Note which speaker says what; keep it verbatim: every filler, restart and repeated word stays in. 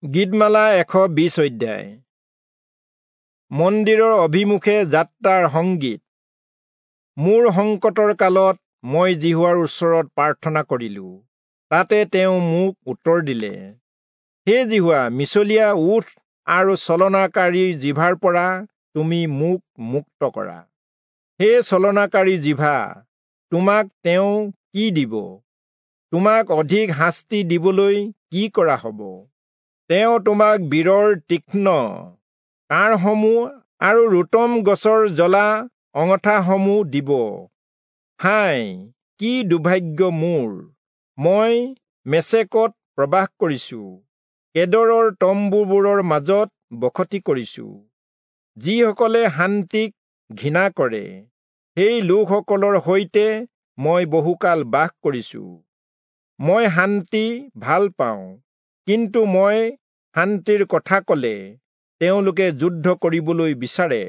Speaker 1: গীতমালা এশ বিশ অধ্যায়। মন্দিৰৰ অভিমুখে যাত্ৰাৰ সংগীত। মোৰ সংকটৰ কালত মই যিহোৱাৰ ওচৰত প্ৰাৰ্থনা কৰিলো, তাতে তেওঁ মোক উত্তৰ দিলে। হে যিহোৱা, মিছলীয়া ওঁঠ আৰু ছলনাকাৰীৰ জিভাৰ পৰা তুমি মোক মুক্ত কৰা। হে ছলনাকাৰী জিভা, তোমাক তেওঁ কি দিব? তোমাক অধিক শাস্তি দিবলৈ কি কৰা হ'ব? তেওঁ তোমাক বীৰৰ তীক্ষ্ণ কাঁড়সমূহ আৰু ৰোতম গছৰ জ্বলা অঙঠাসমূহ দিব। হায়, কি দুৰ্ভাগ্য মোৰ! মই মেচেকত প্ৰবাস কৰিছো, কেদৰৰ তম্বুবোৰৰ মাজত বসতি কৰিছো। যিসকলে শান্তিক ঘৃণা কৰে, সেই লোকসকলৰ সৈতে মই বহুকাল বাস কৰিছো। মই শান্তি ভাল পাওঁ, কিন্তু মই শান্তিৰ কথা কলে তেওঁলোকে যুদ্ধ কৰিবলৈ বিচাৰে।